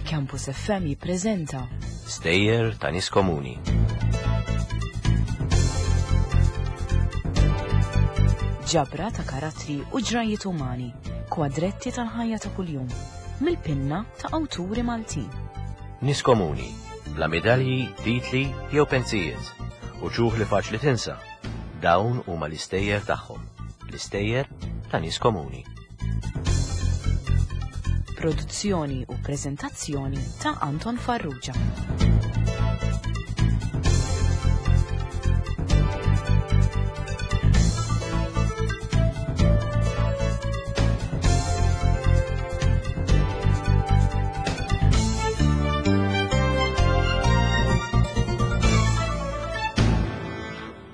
Campus FM jippreżenta Stejjer ta' nies komuni. Ġabra ta' karattri u ġrajiet umani, kwadretti tal-ħajja ta' kuljum, mill-pinna ta' awturi Maltin. Nies komuni, bla medalji, titli jew pensijiet, u ċuħ li faċli tinsa. Dawn huma l-istejjer tagħhom, l-istejjer ta' nies komuni. Produzzjoni u preżentazzjoni ta' Anton Farrugia.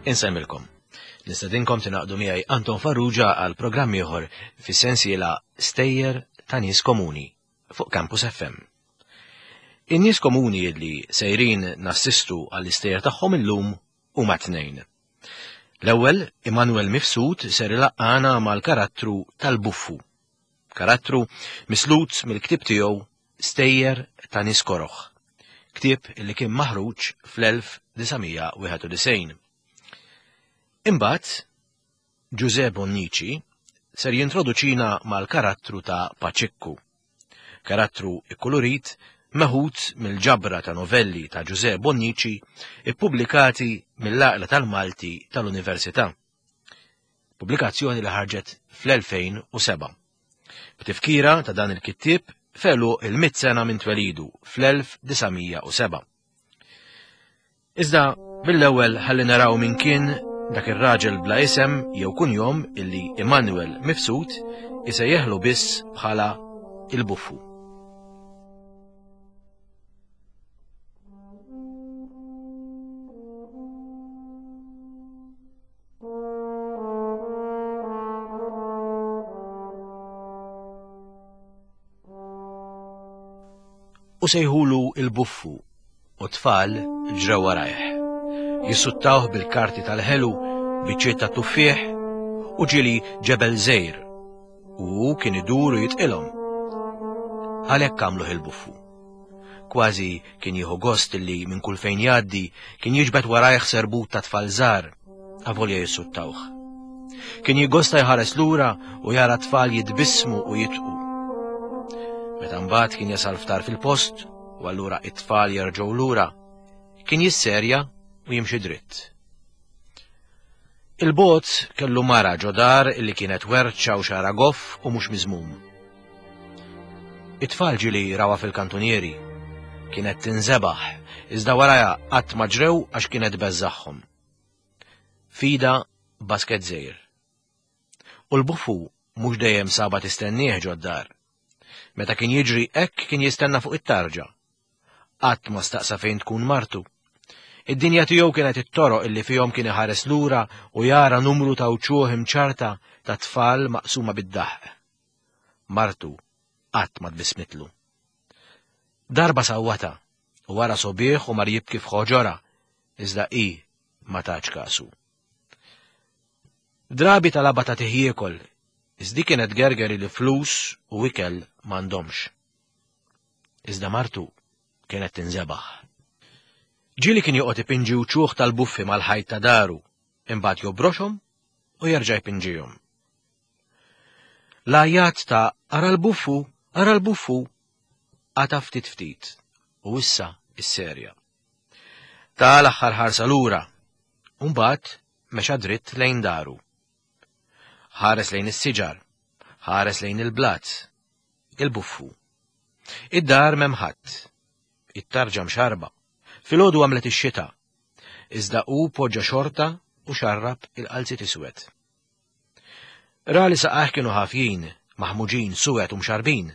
Insemmilkom. Nistedinkom tingħaqdu miegħi Anton Farrugia għal programm ieħor fis-sensiela Stejjer ta' Nies Komuni fuq Campus FM. In-nies komuni li sejrin nassistu għall-istejjer tagħhom illum huma tnejn. L-ewwel, Immanuel Mifsud ser ilaqqana mal-karattru tal-buffu. Karattru mislut mill-ktieb tiegħu Stejjer ta' Nies Koroh, ktieb li kien maħruġ fl-1991. Imbagħad, Ġużè Bonnici ser jintroduċina mal-karattru ta' Paċikku. Karattru ikkulurit meħud mill-ġabra ta' novelli ta' Ġużè Bonnici ippubblikati mill-Għaqla tal-Malti tal-Università. Pubblikazzjoni li ħarġet fl-2007. B'tifkira ta' dan il-kittieb felu il-mit sena minn twelidu fl-1907. Iżda mill-ewwel ħalli naraw min kien dak ir-raġel bla isem jew kunjom illi Immanuel Mifsud isejjeħlu biss bħala il-buffu. U sejħulu il-buffu u tfal ġrew warajh. Jissuttawh bil-karti tal-ħelu, biċċiet ta' tuffieħ u ġieli ġebel żgħir. U hu kien idur u jitqilhom. Għalhekk għamluh il-buffu. Kważi kien jieħu gost li minn kull fejn jgħaddi kien jiġbed warajh serbut ta' tfal żgħar, avolja jissuttawh. Kien jiggosta jħares lura u jara tfal jitbissmu u jitqu. Meta mbagħad kien jasal ftar fil-post u allura it-tfal jerġgħu lura, kien jisserja u jimxi dritt. Il-bogħod kellu mara ġo dar li kienet werċa u xara goff u mhux miżmum. It-tfal ġieli rawha fil-kantunieri. Kienet tinżebaħ, iżda warajha qatt ma ġrew għax kienet beżżagħhom. Fida basket żgħir. U l-buffu mhux dejjem saba tistennieh ġod-dar. Meta kien jiġri hekk kien jistenna fuq it-tarġa. Qatt ma staqsa fejn tkun martu. Id-dinja tiegħu kienet it-toroq illi fihom kien iħares lura u jara numru ta' wċuħ imċarta ta' tfal maqsuma bid-daħq. Martu qatt ma tbissmitlu. Darba sawwatha u wara sobieħ u mar jibki f'ħoġorha, iżda hi ma tatx kasu. Drabi talabha tagħtih jiekol, iżda kienet gergeri li flus u ikel m'għandhomx. Iżda martu kienet tinżebaħ. Ġieli kien joqgħod ipinġi wċuħ tal-buffi mal-ħajt ta' daru, imbagħad jobroxhom u jerġa' jpinġihom. L-għajat ta' ara l-buffu, ara l-buffu, qata' ftit ftit u issa isserja. Ta' l-aħħar ħarsa lura, u mbagħad mexa dritt lejn daru. Ħares lejn is-siġar, ħares lejn il-blat, il-buffu. Id-dar m'hemm ħadd. It-tarġa mxarba. Filgħodu għamlet ix-xita. Iżda hu poġġa xorta u xarrab il-qalziet iswed. Ra li saqajh kienu ħafjin, maħmuġin, suwed u mxarbin.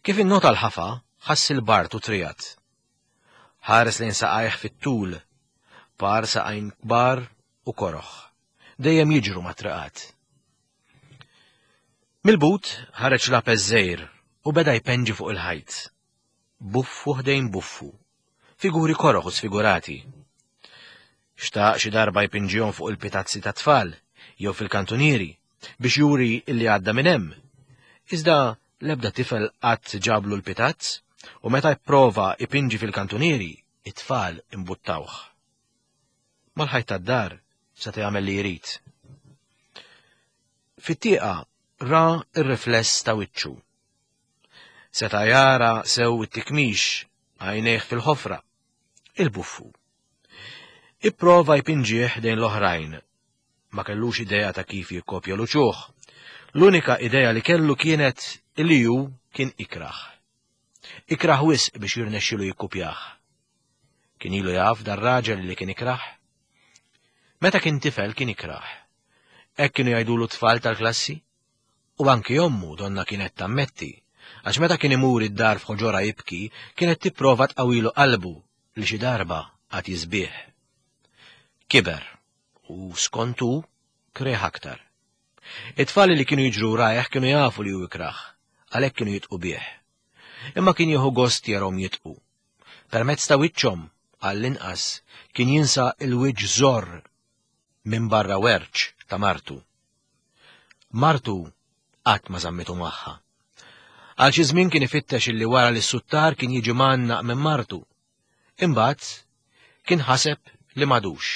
Kif innota l-ħafa, ħass il-bard u trijat. Ħares lejn saqajh fit-tul, par saqajn kbar u koroħ, dejjem jiġru mat-triqat. Mill-but ħareġ lapes żgħir u beda jpenġi fuq il-ħajt. Buffu ħdejn buffu. Figuri koroħ u sfigurati. Xtaq xi darba jpinġihom fuq il-pitazzi tat-tfal jew fil-kantunieri. biex juri illi għadda minn hemm. Iżda l-ebda tifel qatt ġablu l-pitazz u meta jprova ipinġi fil-kantunieri, it-tfal imbuttawh. Mal-ħajt tad-dar seta' jagħmel li jrid. Fit-tieqa ra r-rifless ta' wiċċu. Seta' jara sew it-tikmix għajnejh fil-ħofra, il-buffu. Ipprova jpinġih dejn l-oħrajn. Ma kellux idea ta' kif jikkopja l-uċuħ. L-unika idea li kellu kienet li hu kien ikrah. Ikrah wisq biex jirnexxilu jikkupjah. Kien ilu jaf dar-raġel li kien ikrah? Meta kien tifel kien ikrah. Hekk kienu jgħidulu t-tfal tal-klassi? U anki ommu donna kienet tammetti, għax meta kien imur id-dar f'ħoġorha jibki, kienet tipprova tqawwilu qalbu li xi darba għad jisbieħ. Kiber, u skont hu, kreh aktar. It-tfal li kienu jiġru rajh kienu jafu li hu ikrah, għalhekk kienu jitqu bih. Imma kien jieħu gost jarhom jitqu. Permezz ta' wiċċhom, għall-inqas, kien jinsa l-wiċċ żorr minn barra werċ ta' martu. Martu qatt ma żammitu magħha. Għal xi żmien kien ifittex illi wara li s-suttar kien jiġi mgħannaq minn martu. Imbagħad kien ħaseb li m'għadux.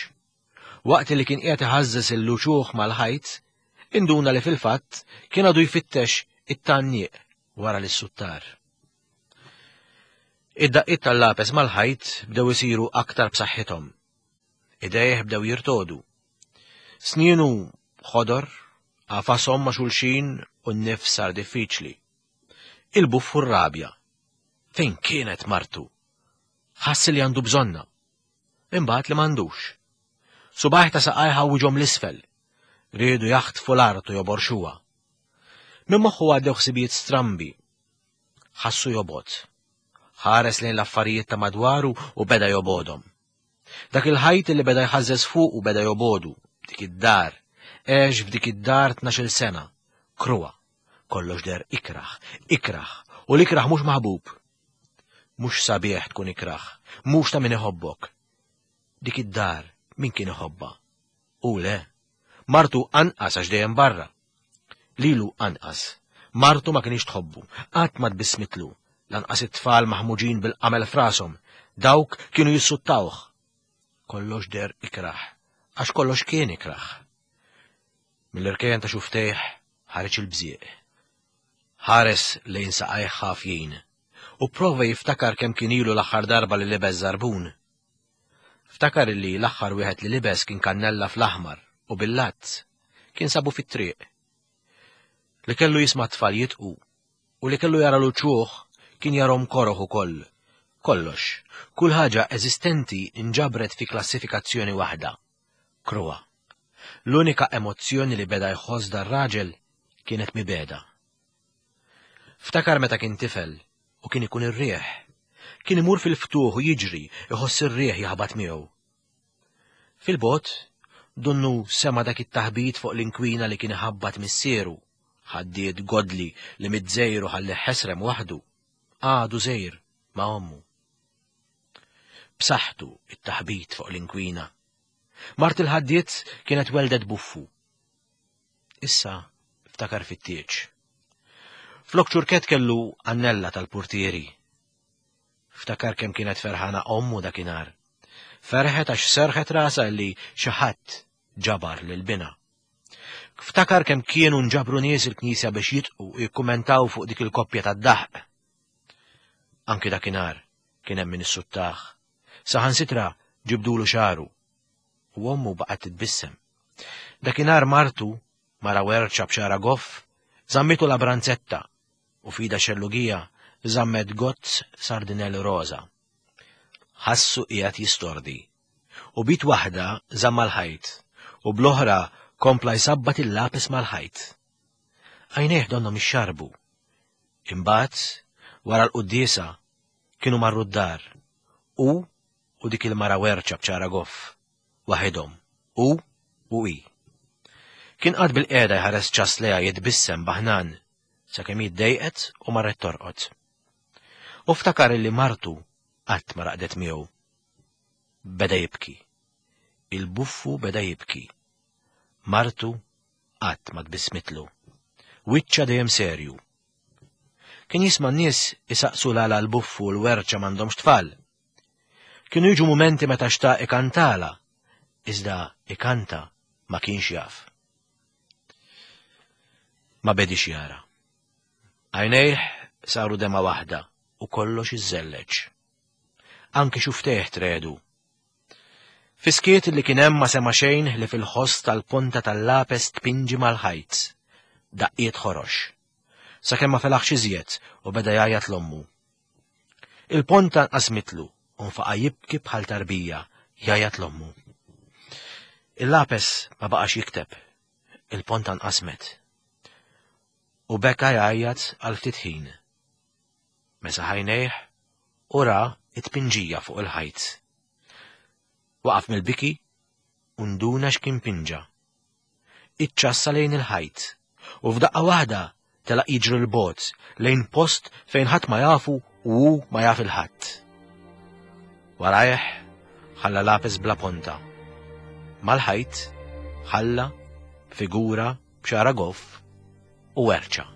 Waqt li kien qiegħed iħażżeż il-luċuħ mal-ħajt, induna li fil-fatt kien għadu jfittex it-tgħanniq wara li s-suttar. Id-daqqiet tal-lapes mal-ħajt bdew isiru aktar b'saħħithom. Idejh bdew jirtodu. Snienu ħodor, għafasom ma' xulxin u n-nifs sar diffiċli. Il-buffu r-rabja. Fejn kienet martu? Ħass li għandu bżonna. Imbagħad li m'għandux. Subajh ta' saqajh ħawwiġhom l-isfel. Riedu jaħtfu l-art u joborxuha. Minn moħħu għaddew ħsibijiet strambi. Ħassu jobgħod. Ħares lejn l-affarijiet ta' madwaru u beda jobgħodhom. Dak il-ħajt li beda jħażżeż fuqu beda jobogħdu, dik id-dar. Għex f'dik id-dar tnax-il sena. Kruha. Kollox deher ikrah, ikrah, u l-ikrah mhux maħbub. Mhux sabiħ tkun ikrah, mhux ta' min iħobbok. Dik id-dar min kien iħobbha? Hu le. Martu anqas għax dejjem barra. Lilu anqas. Martu ma kinitx tħobbu, qatt ma tbissmitlu, lanqas it-tfal maħmuġin bil-qamel f'rashom, dawk kienu jissuttawh. Kollox deher ikrah, għax kollox kien ikrah. Mill-irkejjen ta' xuftejh ħareġ il-bżieq. Ħares lejn saqajh ħafjin u pprova jiftakar kemm kien ilu l-aħħar darba li libes żarbun. Ftakar illi l-aħħar wieħed li libes kien kannella fl-aħmar u bil-lazz. Kien sabu fit-triq. Li kellu jisma' t-tfal jidqu u li kellu jara l-uċuħ kien jarhom koroh ukoll. Kollox, kull ħaġa eżistenti nġabret fi klassifikazzjoni waħda. Kruha. L-unika emozzjoni li beda jħoss dar-raġel kienet mibegħda. Ftakar meta kien tifel u kien ikun ir-riħ. Kien imur fil-ftuħ u jiġri, iħoss ir-riħ jaħbat miegħu. Fil-bogħod, donnu sema' dak it-taħbit fuq l-inkwina li kien iħabbat missieru, ħaddied godli li miet żgħir u ħallih ħesrem waħdu, għadu żgħir ma' ommu. B'saħħtu it-taħbit fuq l-inkwina. Mart il-ħaddied kienet weldet buffu. Issa ftakar fit-tieġ. Flok ċurkett kellu annella tal-purtieri. Ftakar kemm kienet ferħana ommu dakinhar. Ferħet għax serħet rasha li xi ħadd ġabar lil binha. Ftakar kemm kienu nġabru nies il-knisja biex jitqu u jikkumentaw fuq dik il-koppja tad-daħq. Anki dakinhar kien hemm min issuttah. Saħansitra ġibdulu xagħru. U ommu baqgħet titbissem. Dakinhar martu, mara werċa b'xagħarha goff, żammitu la branzetta u f'idha xellugija żammet gozz sardinell roża. Ħassu qiegħed jistordi. U b'id waħda żamm mal-ħajt u bl-oħra kompla jsabbat il-lapes mal-ħajt. Għajnejh donnhom ixxarrbu. Imbagħad, wara l-quddiesa, kienu marru d-dar, hu u dik il-mara werċa b'ċara goff, waħidhom, hu u hi. Kien qagħad bil-qiegħda jħares ċass lejha jitbissem baħnan, sakemm hi ddejqet u marret torqod. U ftakar illi martu qatt ma raqdet miegħu. Beda jibki. Il-buffu beda jibki. Martu Qatt ma tbissmitlu. Wiċċha dejjem serju. Kien jisma' n-nies isaqsu l-għala l-buffu u l-werċa m'għandhomx tfal. Kienu jiġu mumenti meta xtaq ikantala, iżda ikanta ma kienx jaf. Ma bedix jara. Għajnejh saru dema waħda u kollox iżżelleġ. Anki xuftejh tredu. Fiskiet li kien hemm ma sema xejn li fil-ħoss tal-ponta tal-lapes tpinġi mal-ħajt. Daqqiet ħorox. Sakemm ma felaħx iżjed u beda jgħajjat l-ommu. Il-ponta nqasmitlu u nfaqa' jibki bħal tarbija jgħajjat l-ommu. Il-lapes ma baqax jikteb. Il-ponta nqasmet. U beka jgħajjat għal ftit ħin. Mesaħ għajnejh u ra t-tpinġija fuq il-ħajt. Waqaf mill-biki u nduna x'kien pinġa. Iċċassa lejn il-ħajt u f'daqqa waħda telaq jiġri 'l bogħod lejn post fejn ħadd ma jafu u hu ma jaf il-ħadd. Warajh ħalla lapis bla ponta. Mal-ħajt ħalla figura b'xara goff u werċa.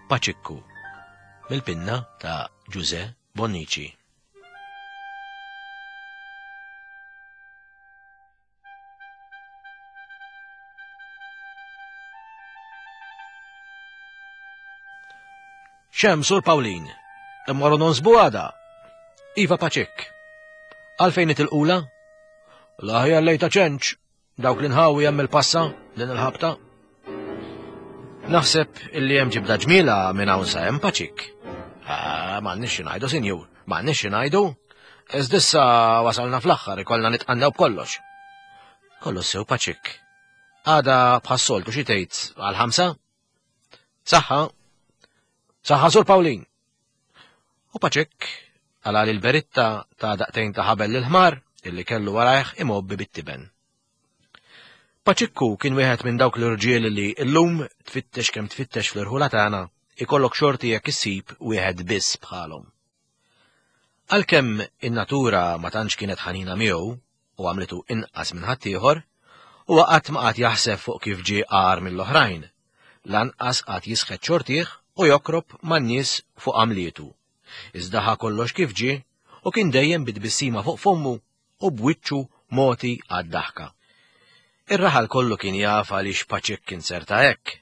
Paċikku mill-pinna ta' Ġuże Bonnici. Xem, Sur Pawlin, immorru nonsbu għada. Iva Paċik. Għalfejn itilqula? L-aħjar lejta ċenċ, dawk l-inħawi hemm il-passa din il-ħabta. Naħseb illi hemm ġibda ġmiela minn hawn sa hemm Paċik. Ah, m'għandniex xi ngħidu, sinjur, m'għandniex xi ngħidu. Iżdissa wasalna fl-aħħar ikollna nitqannew b'kollox. Kollox sew Paċik. Għada bħas-soltu xi tgħid għal ħamsa? Saħħa. Saħħa Sur Pawlin. U Paċik għala li l-beritta ta' daqtejn ta' ħabel l-ħmar illi kellu warajh imobbi bit-tiben. Paċikku kien wieħed minn dawk l-irġiel li llum tfittex kemm tfittex fl-irħula tagħna ikollok xorti jekk issib wieħed biss bħalhom. Għalkemm in-natura ma tantx kienet ħanina miegħu u għamlitu inqas minn ħaddieħor, huwa qatt ma qagħad jaħseb fuq kif ġie agħar mill-oħrajn, lanqas qagħad jisħet xortih u jokrob man-nies fuq għamlietu. Iżda ħa kollox kif ġie u kien dejjem bi tbissima fuq fommu u b'wiċċu mogħti għad-daħka. Ir-raħal kollu kien jaf għaliex Paċik kien serta hekk,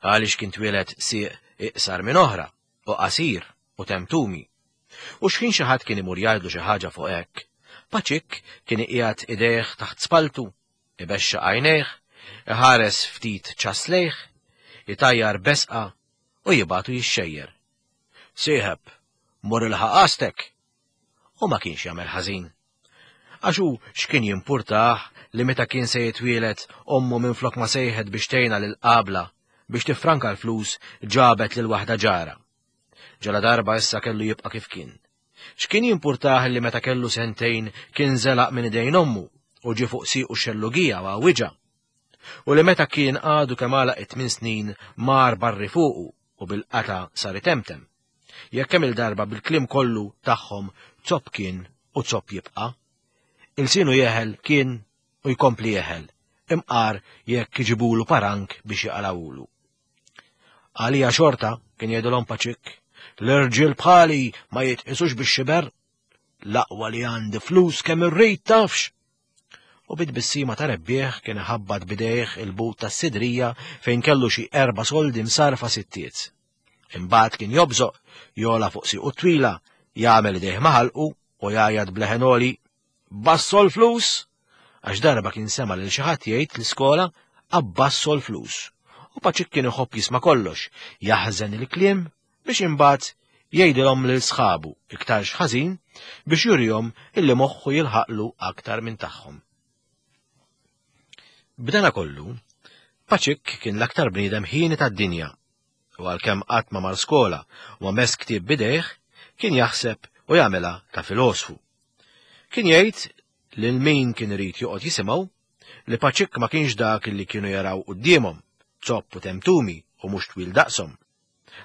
għaliex kien twieled sieq iqsar minn oħra u qasir u temtumi. U xħin xi ħadd kien imur jgħidlu xi ħaġa fuq hekk, Paċik kien iqiegħed idejh taħt spaltu, ibexxaq għajnejh, iħares ftit ċass lejh, itajjar besqa u jibgħatu jixxejjer. Sieħeb, mur ilħaq għastek! U ma kienx jagħmel ħażin. Għax hu x'kien jimpurtah li meta kien se jitwieled ommu minflok ma sejħet biex tgħinha lill-qabla biex tiffranka l-flus ġabet lil waħda ġara. Ġaladarba issa kellu jibqa' kif kien. X'kien jimpurtah li meta kellu sentejn kien żelaq minn idejn ommu u ġie fuq siequ x-xellugija u għawwiġha. U li meta kien għadu kemm għalaq it-tmien snin mar barri fuqu u bil-qatgħa sar itemtem. Jekk kemm-il darba bil-kliem kollu tagħhom zopp kien u zopp jibqa'. Ilsienu jeħel kien u jkompli jeħel, imqar jekk iġibulu parank biex jaqalgħulu. Għalija xorta, kien jgħidilhom Paċik, l-irġiel bħali ma jitqisux bix-xiber, l-aqwa li għandi flus kemm irrid tafx. U bit-tbissima ta' rebbieħ kien iħabbat bidejh il-but tas-sidrija fejn kellu xi erba' soldi msarfa sittiet. Imbagħad kien jobżoq, jola fuq siequ twila, jagħmel idejh ma' ħalqu u jgħajjat b'leħen għoli, Basso l-flus! Għax darba kien sema' lil xi ħadd jgħid l-iskola abbasso l-flus. U Paċik kien iħobb jisma' kollox, jaħżen il-kliem biex imbagħad jgħidilhom lil sħabu iktarx ħażin biex jurihom illi moħħu jilħaqlu aktar minn tagħhom. B'dana kollu, Paċik kien l-aktar bniedem ħieni tad-dinja u għalkemm qatt ma mar skola u ma mess ktieb bidejh, kien jaħseb u jagħmilha ta' filosfu. Kien jgħid lil min kien irid joqgħod jisimgħu li Paċik ma kienx dak li kienu jaraw quddiemhom, zopp u temtumi u mhux twil daqshom.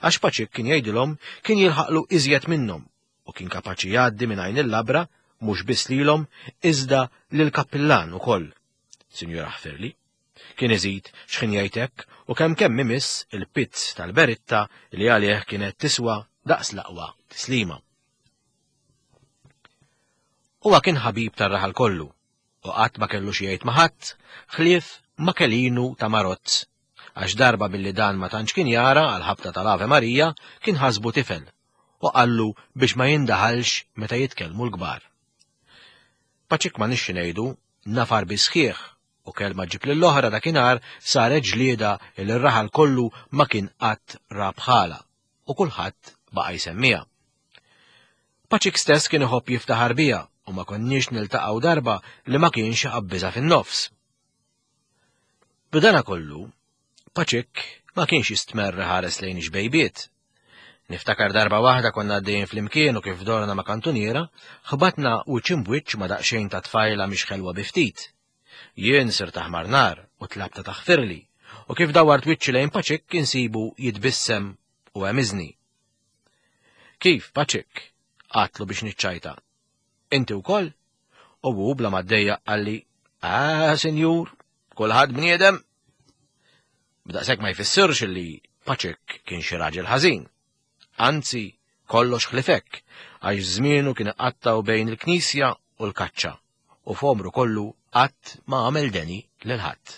Għax Paċik kien jgħidilhom kien jilħaqlu iżjed minnhom u kien kapaċi jgħaddi minn għajn il-labra mhux biss lilhom iżda lill-kappillan ukoll. Sinjura ħfirli. Kien iżid x'ħin jgħid hekk u kemm kemm imiss il-pizz tal-beritta li għalih kienet tiswa daqs l-aqwa tislima. Huwa kien ħabib tar-raħal kollu u qatt ma kellu xi jgħid ma' ħadd ħlief ma' Kelinu ta' Marozz għax darba billi dan ma tantx kien jara għal ħabta tal-Ave Marija kien ħasbu tifel u qallu biex ma jindaħalx meta jitkellmu l-kbar. Paċik ma nixxi ngħidu nafar bi sħiħ u kelma ġib lill-oħra dakinhar saret ġlieda li r-raħal kollu ma kien qatt ra bħala u kulħadd baqa' jsemmiha. Paċik stess kien iħobb jiftaħar biha u ma konniex niltaqgħu darba li ma kienx iqabbiżha fin-nofs. B'dana kollu, Paċik ma kienx jistmerr ħares lejn ix-xbejbiet. Niftakar darba waħda konna għaddejjin flimkien u kif dorna ma' kantuniera, ħbatna wiċċ imbwiċċ ma' daqsxejn ta' tfajla mhix ħelwa bi ftit. Jien sirt aħmar nar u tlabtha taħfirli, u kif dawwart wiċċi lejn Paċik insibu jitbissem u għemiżni. Kif, Paċik? Għadtlu biex niċċajta. Inti wkoll? U hu bla ma ddejjaq qalli, Ah, sinjur, kulħadd bniedem. B'daqshekk ma jfissirx li Paċek kien xi raġel ħażin. Anzi, kollox ħlifek, għax żmienu kien iqattgħu bejn il-knisja u l-kaċċa, u f'għomru kollu qatt ma għamel deni lil ħadd.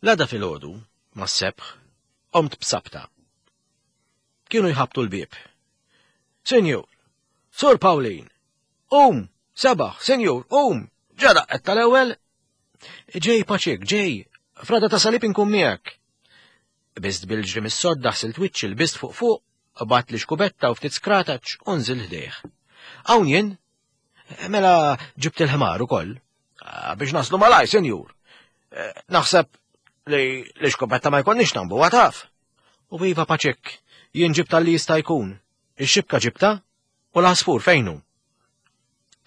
L-għada filgħodu, mas-sebħ, qomt b'sabta. Kienu jħabbtu l-bieb. Sinjur, Sur Pawlin, qum, sebaħ, sinjur, qum, ġa daqqet tal-ewwel. Ġej paċik, ġej, frada ta' salib inkun miegħek. Qbiżt bil-ġri mis-sodda ħsilt wiċċi lbist fuq fuq, qbadt li xkubetta u ftit skrataċ u nżilt ħdejh. Hawn jien, mela ġibt il-ħmar ukoll. Ah, biex naslu malaj, sinjur. Eh, naħseb li l-iskopetta ma jkollniex nambu għataf. U iva paċek, jien ġibta li jista' jkun. Ix-xibka ġibta u l-għasfur fejnu.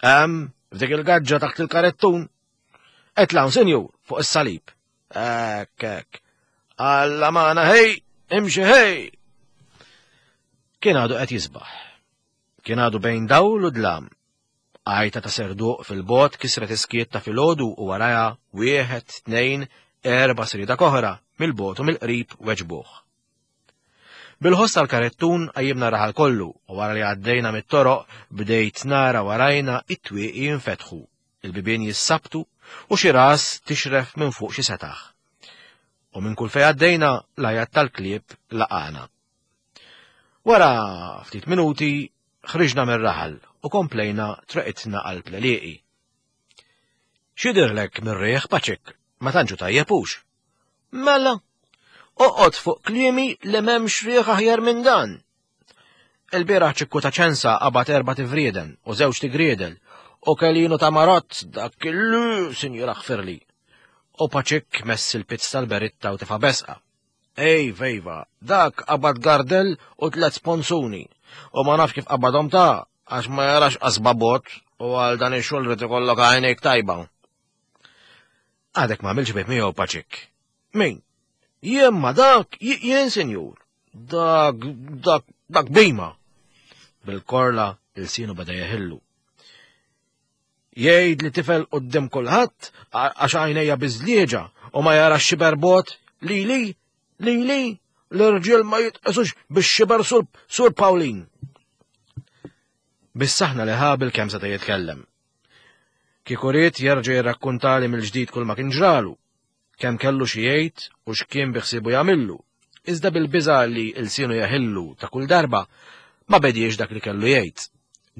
Hemm, f'dik il-gaġġa taħt il-karettun. Etlaw, sinjur, fuq is-salib. Ek, ek. Alla magħna ħej, imxi ħej. Kien għadu qed jisbaħ. Kien għadu bejn dawl u dlam. Għajta ta' serduq fil-bogħod kisret is-skiet ta' filgħodu u warajha wieħed, tnejn, erbgħa sriedak oħra mill-bogħod u mill-qrib weġbuh. Bil-ħoss tal-karettun qajjimna r-raħal kollu u wara li għaddejna mit-toroq bdejt nara warajna it-twieqi jinfetħu, il-bibien jissabtu u xi ras tixref minn fuq xi setaħ. U minn kull fejn għaddejna l-għajat tal-klieb laqagħna. Wara ftit minuti ħriġna mir-raħal u komplejna treqitna qalb l-għelieqi. X'jidhirlek mir-riħ, Paċik, ma tantx hu tajjeb hux? Mela, oqgħod fuq kliemi li m'hemmx riħ aħjar minn dan. Il-bieraħ ċikku ta' ċensa qabad erba' tivrieden u żewġ tigriedel u kelinu ta' marott dak il sinjura ħfirli. U Paċik mess il-pizz tal-beritta u tefa' besqa. Ej, vejva, dak qabad gardel u tlet sponsuni. U ma nafx kif qabadhom ta' għax ma jarax qasba bot u għal dan ix-xogħol rid ikollok għajnejk tajba. Għadek ma għamilx bejt miegħu paċik. Min? Jien ma dak, jien sinjur. Dak, dak, dak bima. Bil-korla il-sinu beda jeħillu. Jgħid li tifel qudiem kulħadd għax għajnejja biżlieġa u ma jarax xiber bot lili, lili, l-irġiel ma jitqisux bix-xiber sur, sur Pawlin. Bis-saħna li ħabil kemm seta' jitkellem. Kieku ried jerġa' jirrakkuntali mill-ġdid kull ma kien ġralu, kemm kellu xi jgħid u x'kien biħsiebu jagħmillu, iżda bil-biża' li lsienu jeħillu ta' kull darba, ma bediex dak li kellu jgħid.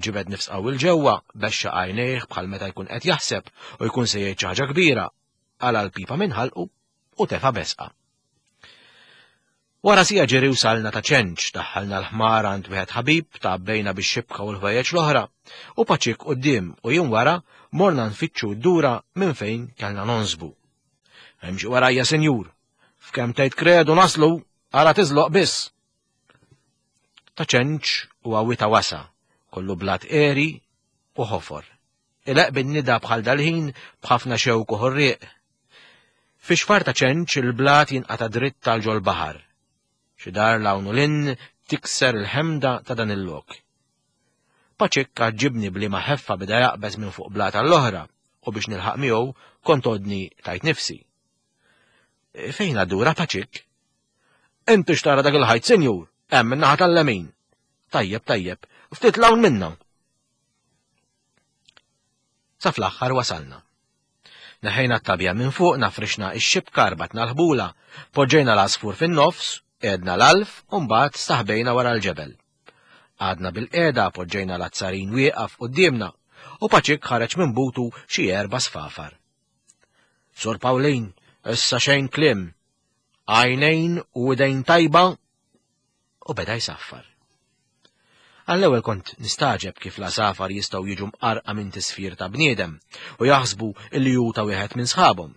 Ġibed nifs qawwi 'l ġewwa, bexxaq għajnejh bħal meta jkun qed jaħseb u jkun se jgħid xi ħaġa kbira, qala' l-pipa minn ħalqu u tefa' besqa. Wara siegħa ġiri wsalna ta' Ċenċ, daħħalna l-ħmar għand wieħed ħabib, tgħabbejna bix-xibka u l-ħwejjeġ l-oħra, u Paċik quddiem u jien wara morna nfittxu d-dura minn fejn kellna nonsbu. Imxi warajja, sinjur. F'kemm tgħid kredu naslu, ara tiżloq biss. Ta' Ċenċ huwa wita wasa, kollu blat għeri u ħofor. Ileqq bin-nida bħal dal-ħin b'ħafna xewk u ħorrieq. Fi xfar ta' ċenċ il-blat jinqata' dritt għal ġol-baħar. Xi dar 'l hawn u 'l hinn tikser il-ħemda ta' dan il-lok. Paċikk għaġġibni b'liema ħeffa beda jaqbeż minn fuq blata għall-oħra u biex nilħaq miegħu kont għodni tajt nifsi. Fejn għad-dura Paċikk? Inti x'tara dak il-ħajt, sinjur? Hemm min-naħa tal-lemin. Tajjeb, tajjeb, ftit 'l hawn minna. Sa fl-aħħar wasalna. Neħejna t-tabja minn fuqna, frixna x-xibka, rbatna l-ħbula, poġġejna l-għasfur fin-nofs, qegħdna l-għalf u mbagħad staħbejna wara l-ġebel. Qgħadna bilqiegħda, poġġejna l-azzarin wieqaf quddiemna u Paċik ħareġ minn butu xi erba' sfafar. Sur Pawlin, issa xejn kliem. Għajnejn u idejn tajba u beda jsaffar. Għall-ewwel kont nistagħġeb kif l-għasafar jistgħu jiġu mqarrqa minn tisfir ta' bniedem u jaħsbu li hu ta' wieħed minn sħabhom.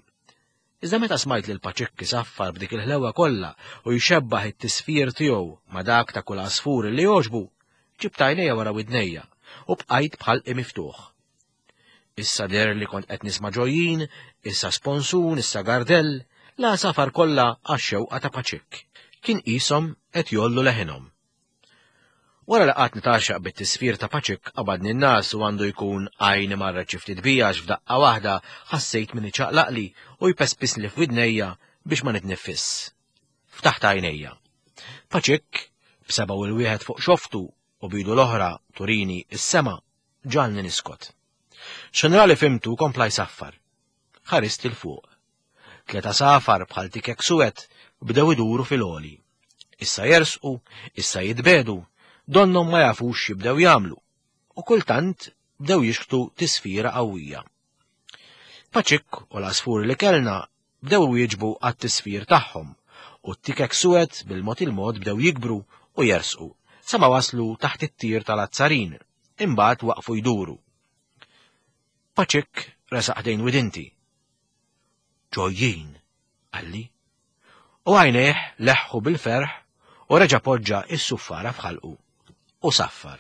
Iżda meta smajt lil Paċikk isaffar b'dik il-ħlewa kollha u jxebbaħ it-tisfir tiegħu ma' dak ta' kull għasfur li jogħġbu, ġibt għajnejja wara widnejja u bqajt b'ħalqi miftuħ. Issa deher li kont qed nisma' ġojjin, issa sponsun, issa gardell, l-għasafar kollha għax-xewqa ta' Paċikk. Kien qishom qed jgħollu leħinhom. Wara li qgħadt nitgħaxxaq bit-tisfir ta' Paċikk qabadni n-ngħas u għandu jkun għajni marret xi ftit bija għax f'daqqa waħda ħassejt min iċaqlaqli u jpespisli f'widnejja biex ma nitniffiss. Ftaħt għajnejja. Paċikk, b'sebgħu l-wieħed fuq xoftu u b'idu l-oħra turini s-sema, ġagħalni niskot. X'ħin fimtu kompla jsaffar. Ħarist 'il fuq. Tlet għasafar bħal tikek suwed bdew iduru fil-għoli. Issa jersqu, issa jitbedu, donnhom ma jafux x'jibdew jagħmlu. U kultant bdew jixħtu tisfira qawwija. Paċikk u l-għasfur li kellna bdew iwieġbu għat-tisfir tagħhom u t-tikek suwed bil-mod il-mod bdew jikbru u jersqu sa ma waslu taħt it-tir tal-azzarin, imbagħad waqfu jduru. Paċikk resaq ħdejn widinti. Ġojjin, qalli. U għajnejh leħħu bil-ferħ u reġa' poġġa s-suffara f'ħalqu u saffar.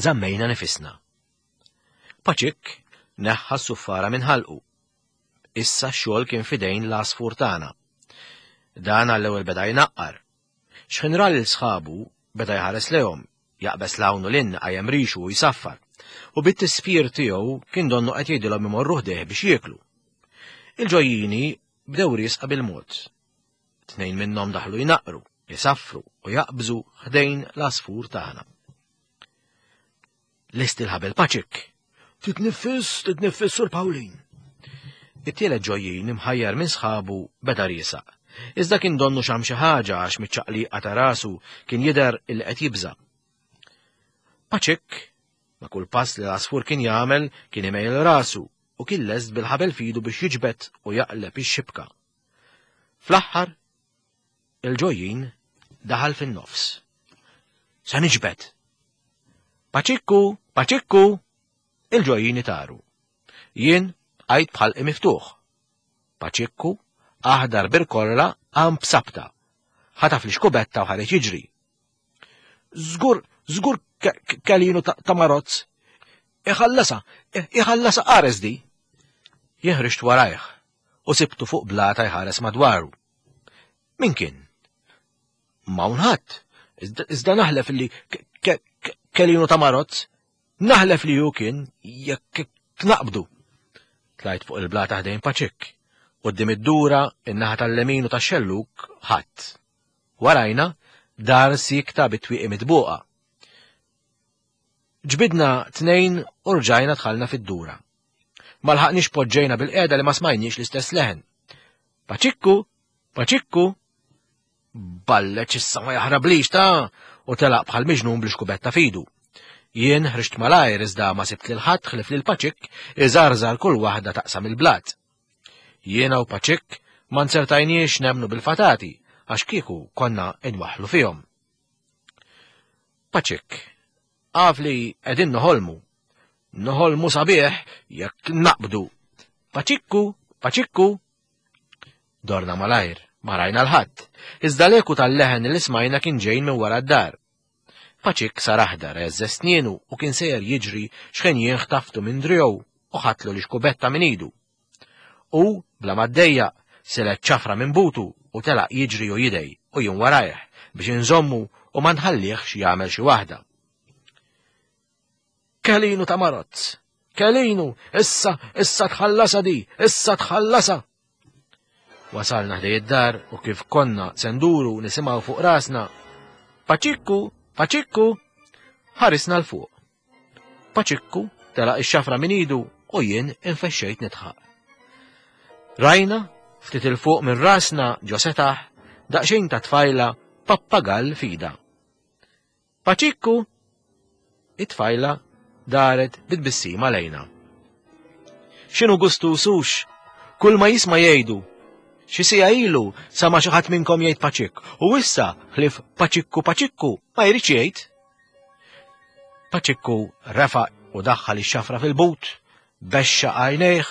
Żammejna nifisna. Paċikk neħħa s-suffara minn ħalqu Issa x-xogħol kien f'idejn l-għasfur tagħna. Dan għall-ewwel beda jnaqqar. X'ħin ra lil sħabu, beda jħares lejhom, jaqbeż 'l hawn u 'l hinn, iqajjem rixu u jsaffar. U bit-tisfir tiegħu kien donnu qed jgħidilhom imorru ħdejh biex jieklu. Il-ġojjini bdew riesqa bil-mod. Tnejn minnhom daħlu jnaqqru, isaffru u jaqbżu ħdejn l-għasfur tagħna. Lest il-ħabel paċik. Titniffis, titniffis sur Pawlin. It-tielet ġojjin imħajjar minn sħabu beda riesaq. Iżda kien donnu xam xi ħaġa għax miċ-ċaqliqa ta' rasu kien jidher il qed jibża'. Paċik, ma' kull pass li l-għasfur kien jagħmel kien imejjel rasu u kien lest bil-ħabel fidu biex jiġbed u jaqleb ix-xibka. Fl-aħħar Il-ġojjin daħal fin-nofs. Sa niġbed! Paċikku, Paċikku! Il-ġojjin itaru. Jien bqajt b'ħalqi miftuħ. Paċikku, aħdar birkorla, qam b'sabta. Ħataf l-ixkubetta u ħareġ jiġri. Żgur, żgur kelinu ta' marozz. Iħallasha, iħallasha qares di. Jien ħriġt warajh u sibtu fuq blata jħares madwaru. Min kien? M'hawn ħadd. Iżda naħlef li kelinu ta' marozz, naħlef li hu kien jekk naqbdu. Tlajt fuq il-blata ħdejn Paċikk. Quddiem id-dura, in-naħa tal-lemin u tax-xellug ħadd. Warajna, dar siekta bit-twieqi mitbuqa. Ġbidna tnejn u rġajna dħalna fid-dura. Ma lħaqniex poġġejna bil-qiegħda li ma smajniex l-istess leħen. Paċikku! Paċikku! Balleċ issa ma jaħrablix ta' u telaq bħal miġnun bl-xkubetta fidu. Jien ħriġt malajr iżda ma sibt lil ħadd ħlif lil Paċikk iżarżar kull waħda taqsam il-blat. Jiena u Paċikk ma nzertajniex nemnu bil-fatati. għax kieku konna inwaħħlu fihom. Paċik, għaf li qegħdin noħolmu. Noħolmu sabiħ jekk naqbdu. Paċikku, paċikku. Dorna malajr, ma rajna l-ħadd. Iżda l-eku tal-leħen li smajna kien ġejn minn wara d-dar. Paċik sar aħdar għeżżeż snienu u kien sejjer jiġri x'ħin jien ħtaftu minn driegħu u ħadtlu l-ixkubetta minn idu. U, bla ma ddejjaq, silet ċafra minn butu u telaq jiġri u jidgħi u jien warajh biex inżommu u ma nħallihx jagħmel xi waħda. Kelinu ta' marozz! Kelinu! Issa, issa tħallasha di! Issa tħallasha! Wasalna ħdej id-dar u kif konna se nduru nisimgħu fuq rasna Paċikku, Paċikku! Ħarisna 'l fuq. Paċikku telaq ix-xafra minn idu u jien infexxejt nidħaq. Rajna, ftit 'il fuq minn rasna ġo setaħ, daqsxejn ta' tfajla pappagall f'idha. Paċikku! It-tfajla daret bi tbissima lejna. X'inhu gustuż hux? Kull ma jisma' jgħidu. Xi siegħa ilu sama' xi ħadd minnkom jgħid paċikk u issa ħlief paċikku paċikku ma jridx jgħid. Paċikku refa' u daħħal ix-xafra fil-but, bexxaq għajnejh,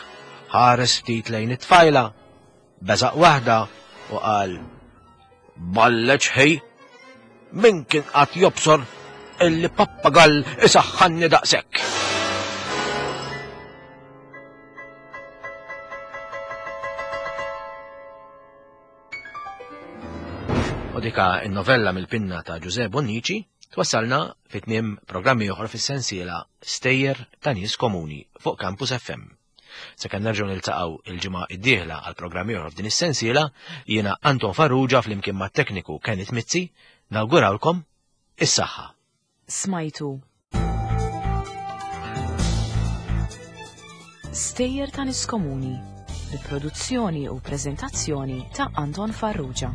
ħares ftit lejn it-tfajla, beżaq waħda u qal Balleċ ħej, min kien qatt jobsor illi pappagall isaħħanni daqshekk. U dika n-novella mill-pinna ta' Ġuże Bonnici twassalna fit tmiem programmi oħra fis-sensiela Stejjer ta' Nies Komuni fuq Campus FM. Sakemm nerġgħu niltaqgħu il-ġimgħa d-dieħla għal programm ieħor f'din is-sensiela, jiena Anton Farrugia flimkien mat-tekniku Kenneth Mizzi nawgurawlkom is-saħħa. Smajtu Stejjer ta' Nies Komuni bi produzzjoni u preżentazzjoni ta' Anton Farrugia.